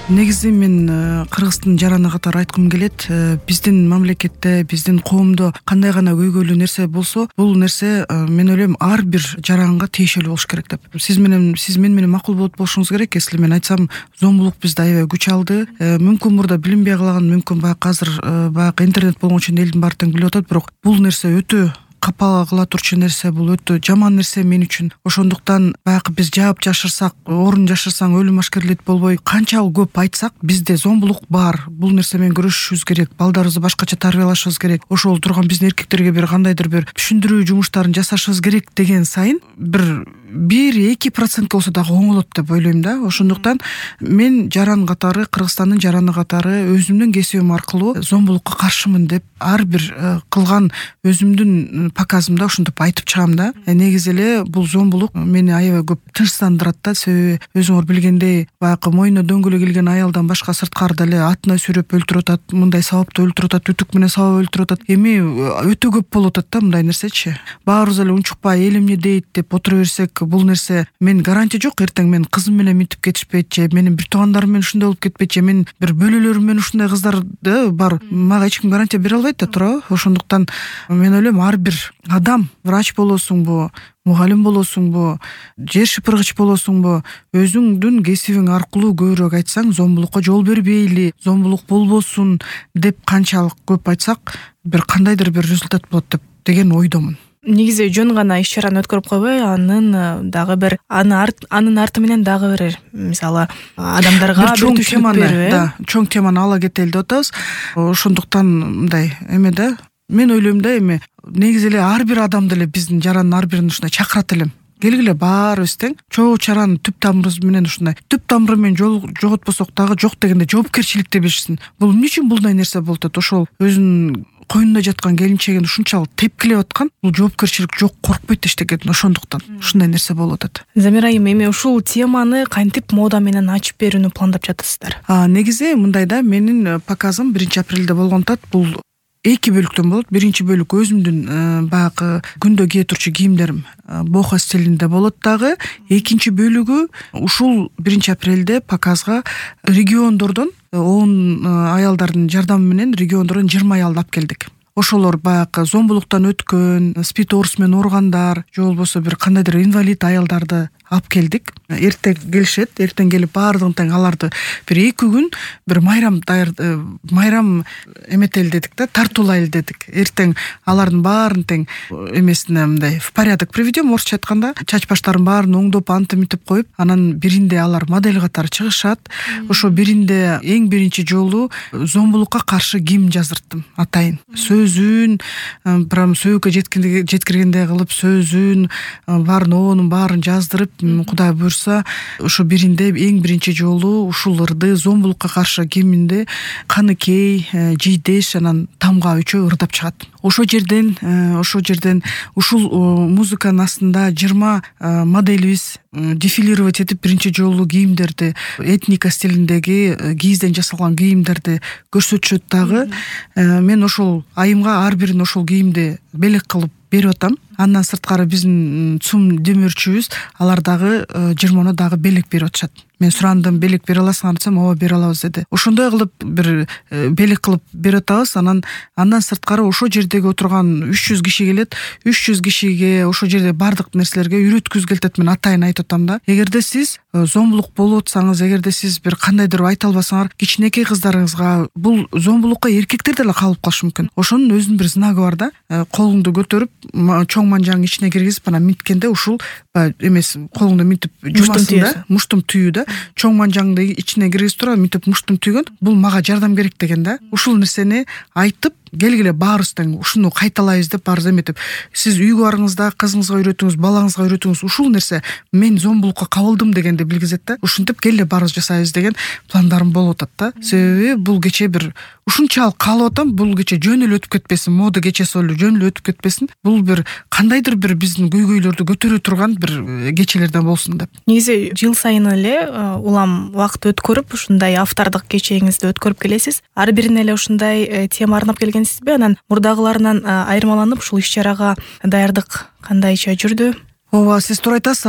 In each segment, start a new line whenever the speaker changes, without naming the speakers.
Негизи мен Кыргыздын жараны катары айткым келет. Биздин мамлекетте, биздин коомдо кандай гана көйгөйлүү нерсе болсо, бул нерсе мен ойлойм ар бир жаранга тиешелүү болуш керек деп. Сиз мен менен макул болуп болушуңуз керек. Если мен айтсам, зомбулук бизде аябай күч алды. Мүмкүн мурда билинбей калган, мүмкүн баягы азыр баягы интернет болгон үчүн элдин баары тең билип атат, бирок бул нерсе өтө капа кыла турчу нерсе, бул өтө жаман нерсе мен үчүн. Ошондуктан баягы биз жаап жашырсак, орун жашырсаң өлүм ашкерлейт болбой, канчалык көп айтсак, бизде зомбулук бар. Бул нерсе менен күрөшүшүбүз керек. Балдарыбызды башкача тарбиялашыбыз керек. Ошол турган биздин эркектерге бир кандайдыр бир түшүндүрүү жумуштарын жасашыбыз керек деген сайын бир 1-2% болсо дагы оңолот деп ойлойм да. Ошондуктан мен жаран катары, Кыргызстандын жараны катары өзүмдүн кесибим аркылуу зомбулукка каршымын деп ар бир кылган өзүмдүн показымда ошентип айтып чыгам да. Негизи эле бул зомбулук мени аябай көп тынчсыздандырат да. Себеби өзүңөр билгендей, баягы мойнуна дөңгөлөк илген аялдан башка сырткарыда эле атына сүйрөп өлтүрүп атат, мындай сабапта өлтүрүп атат, үтүк менен сабап өлтүрүп атат. Эми өтө көп болуп атат да мындай нерсечи. Баарыбыз эле унчукпай эл эмне дейт деп отура берсек, бул нерсе мен гарантия жок, эртең мен кызым менен мынтип кетишпейт же, менин бир туугандарым менен ушундай болуп кетпейт же, мен бир бөлөлөрүм менен ушундай кыздар бар. Мага эч ким гарантия бере албайт да, туурабы? Ошондуктан мен ойлойм ар бир адам, врач болосуңбу, мугалим болосуңбу, жер шыпыргыч болосуңбу, өзүңдүн кесибиң аркылуу көбүрөөк айтсаң, зомбулукка жол бербейли, зомбулук болбосун деп канчалык көп айтсак, бир кандайдыр бир результат болот деген ойдомун.
Негизи жөн гана иш чараны өткөрүп койбой, анын дагы бир анын арты менен дагы бир мисалы адамдарга бир түшүнүк берүү,
да, чоң теманы ала кетели деп атабыз. Ошондуктан мындай эме да, мен ойлойм да, эми негизи эле ар бир адамды эле биздин жарандын ар бирин ушундай чакырат элем. Келгиле баарыбыз тең чогуу чараны түп тамырыбыз менен ушундай түп тамыры менен жоготпосок дагы жок дегенде жоопкерчиликте билишсин. Бул эмне үчүн мындай нерсе болуп атат? Ошол өзүнүн коюнунда жаткан келинчегин ушунчалык тепкилеп аткан, бул жоопкерчилик жок, коркпойт эчтекеден. Ошондуктан ушундай нерсе болуп атат.
Замира айым, эми ушул теманы кантип мода менен ачып берүүнү пландап жатасыздар?
Негизи мындай да, менин показым 1-апрелде болгон атат. Бул 2 бөлүктөн болот. Биринчи бөлүк өзүмдүн баягы күндө кие турчу кийимдерим бохо стилинде болот дагы. Экинчи бөлүгү ушул 1-апрелде показга региондордон 10 аялдардын жардамы менен региондордон 20 аялды алып келдик. Ошолор баягы зомбулуктан өткөн, спид оорусу менен ооругандар, же болбосо бир кандайдыр инвалид аялдарды алып келдик. Эртең келишет, эртең келип баардыгын тең аларды бир 2 күн бир майрам эметели дедик да, тартуулайлы дедик. Эртең алардын баарын тең эмесине мындай в порядок приведем, орусча айтканда, чач баштарын баарын оңдоп, антип мынтип коюп, анан биринде алар модель катары чыгышат. Ошо биринде эң биринчи жолу зомбулукка каршы кийим жаздырттым атайын. Сөзүн, прям сөөгө жеткиргендей кылып, сөзүн, баарын оонун баарын жаздырып, Кудай буйрса, ошо биринде эң биринчи жолу ушул ырды зомбулукка каршы кийиминде Каныкей, Жийдеш, анан Тамга үчөө ырдап чыгат. Ошол жерден ушул музыканын астында 20 моделибиз дефилировать этип биринчи жолу кийимдерди, этника стилиндеги кийизден жасалган кийимдерди көрсөтүшөт дагы. Мен ошол айымга ар бирин ошол кийимди белек кылып берип атам. Андан сырткары биздин ЦУМ демөөрчүбүз алар дагы 20 дагы белек берип атышат. Мен сурандым, белек бере аласыңар десем, ооба бере алабыз деди. Ошондой кылып бир белек кылып берип атабыз. Андан сырткары ошо жердеги отурган 300 киши келет. 300 кишиге ошо жерде бардык нерселерге үйрөткүзгү келет. Мен атайын айтып атам да. Эгерде сиз зомбулук болуп атсаңыз, эгерде сиз бир кандайдыр айта албасаңар, кичинекей кыздарыңызга бул зомбулукка эркектер деле кабылып калышы мүмкүн. Ошонун өзүнүн бир знагы бар да. Колуңду көтөрүп, чоң манжанын ичине киргизип, анан минткенде ушул эмес, колуңду минтип жумасың да, муштум түйүү да. Чоң манжаңды ичине киргизип туруп, минтип муштум түйгөн, бул мага жардам керек деген да. Ушул нерсени айтып, келгиле баарыбыз тең ушуну кайталайбыз деп баарыбыз эметип, сиз үйгө барыңызда кызыңызга үйрөтүңүз, балаңызга үйрөтүңүз, ушул нерсе мен зомбулукка кабылдым дегенди билгизет да. Ушинтип келгиле баарыбыз жасайбыз деген пландарым болуп атат да. Себеби бул кече бир ушунчалык каалап атам, бул кече жөн эле өтүп кетпесин, мода кечеси эле жөн эле өтүп кетпесин. Бул бир кандайдыр бир биздин көйгөйлөрдү көтөрө турган бир кечелерден болсун деп.
Негизи жыл сайын эле улам убакыт өткөрүп, ушундай автордук кечеңизди өткөрүп келесиз. Ар бирине эле ушундай тема арнап келгенсизби? Анан мурдагыларынан айырмаланып ушул иш чарага даярдык кандайча жүрдү?
Ооба, сиз туура айтасыз.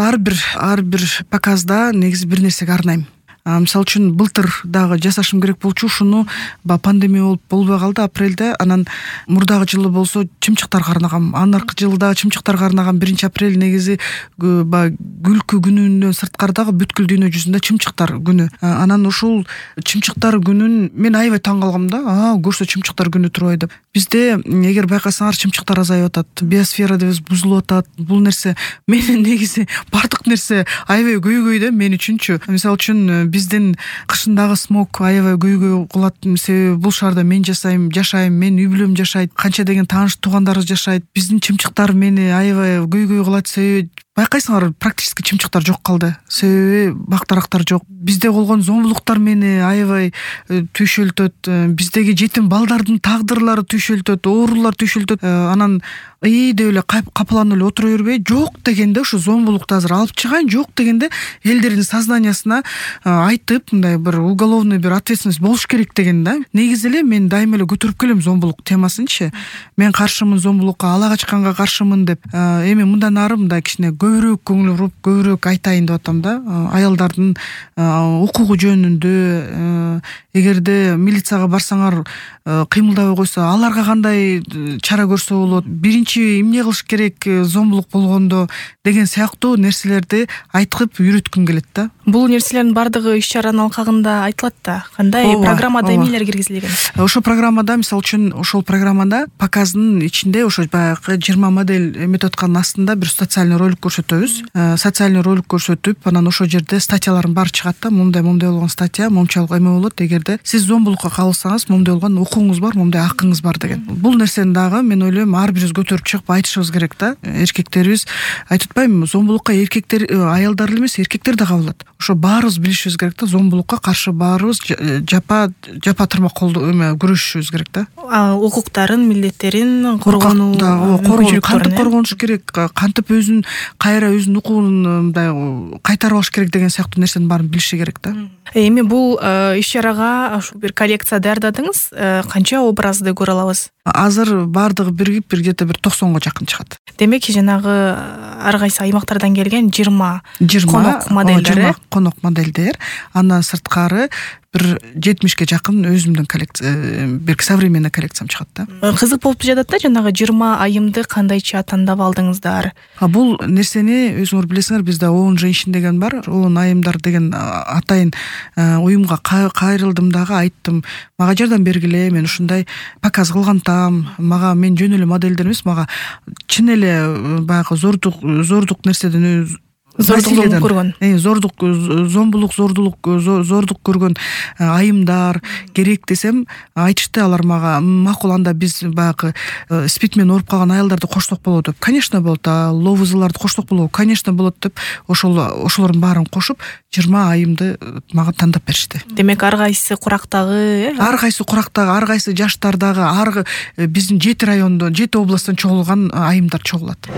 Ар бир показда негизи бир нерсеге арнайм. Мисалы үчүн былтыр дагы жасашым керек болчу, ушуну баягы пандемия болбой калды апрелде. Анан мурдагы жылы болсо чымчыктарга арнаган, анаркы жылы дагы чымчыктарга арнаган 1-апрель негизи баягы күлкү күнүнөн сырткардагы бүткүл дүйнө жүзүндө чымчыктар күнү. Анан ушул чымчыктар күнүн мен аябай таң калгам да. Көрсө чымчыктар күнү турбай деп. Бизде эгер байкасаңар чымчыктар азайып атат, биосфера дебиз бузулуп атат. Бул нерсе менин негизи бардык нерсе аябай көйгөй да мен үчүнчү. Мисалы үчүн биздин кышындагы смог аябай көйгөй кылат. Себеби бул шаарда мен жашайм, менин үй бүлөм жашайт, канча деген тааныш туугандарыбыз жашайт. Биздин чымчыктар мени аябай көйгөй кылат. Себеби байкайсыңар, практически чымчыктар жок калды. Себеби бак-дарактар жок. Бизде болгон зомбулуктар мени аябай түйшөлтөт. Биздеги жетим балдардын тагдырлары түйшөлтөт, оорулар түйшөлтөт. Анан деп эле капыланып эле отура бербей, жок дегенде ушу зомбулукту азыр алып чыгайын, жок дегенде элдердин сознаниясына айтып, мындай бир уголовный бир ответственность болуш керек деген да. Негизи эле мен дайыма эле көтөрүп келем зомбулук темасынчы. Мен каршымын зомбулукка, ала качканга каршымын деп. Эми мындан ары мындай кичине көбүрөөк көңүл буруп, көбүрөөк айтайын деп атам да. Аялдардын укугу жөнүндө, эгерде милицияга барсаңар кыймылдабай койсо, аларга кандай чара көрсө болот, биринчи эмне кылыш керек зомбулук болгондо деген сыяктуу нерселерди айтып үйрөткүм келет да.
Бул нерселердин бардыгы иш-чаранын алкагында айтылат да. Кандай программада эмнелер киргизилген?
Ошол программада, мисалы үчүн, ошол программада показдын ичинде ошо баягы 20 модель методиканын астында бир социальный ролик көрсөтөбүз. Социальный ролик көрсөтүп, анан ошол жерде статьялардын баары чыгат да. Момундай болгон статья, момчалык эме болот. Эгерде сиз зомбулукка кабылсаңыз, момундай болгон укугуңуз бар, момундай акыңыз бар деген. Бул нерсени дагы мен ойлойм ар бирибиз көтөрүп чыгып айтышыбыз керек да. Эркектерибиз айтып атпаймынбы, зомбулукка аялдар эле эмес, эркектер да кабылат. Ошо баарыбыз билишибиз керек да. Зомбулукка каршы баарыбыз жапа тырмак күрөшүшүбүз керек да.
Укуктарын, милдеттерин коргонуу,
кантип коргонуш керек, кантип өзүн кайра өзүнүн укугун мындай кайтарып алыш керек деген сыяктуу нерсенин баарын билиши керек да.
Эми бул иш-чарага ушу бир коллекция даярдадыңыз. Канча образды көрө алабыз?
Азыр бардыгы биригип где-то бир 90га жакын чыгат.
Демек, жанагы ар кайсы аймактардан келген 20 конок модельдер.
Конок модельдер. Андан сырткары бир 70ке жакын өзүмдүн коллекция, бир современный коллекциям чыгат да.
Кызык болуп жатат да, жанагы 20 айымды кандайча тандап алдыңыздар?
Бул нерсени өзүңөр билесиңер, бизде оон женщин деген бар. Оон айымдар деген атайын уюмга кайрылдым дагы, айттым, мага жардам бергиле, мен ушундай показ кылгантам, мага мен жөн эле модельдер эмес, мага чын эле баягы зордук нерседен зордук көргөн, зордук көргөн айымдар керек десем, айтышты алар мага, макул, анда биз баягы спид менен ооруп калган аялдарды кошток болобу деп. Конечно болот, ловузларды кошток болобу? Конечно болот деп, ошолордун баарын кошуп 20 айымды мага тандап беришти.
Демек, ар кайсы курактагы,
ар кайсы жаштардагы, биздин 7 райондон, 7 областтан чогулган айымдар чогулат.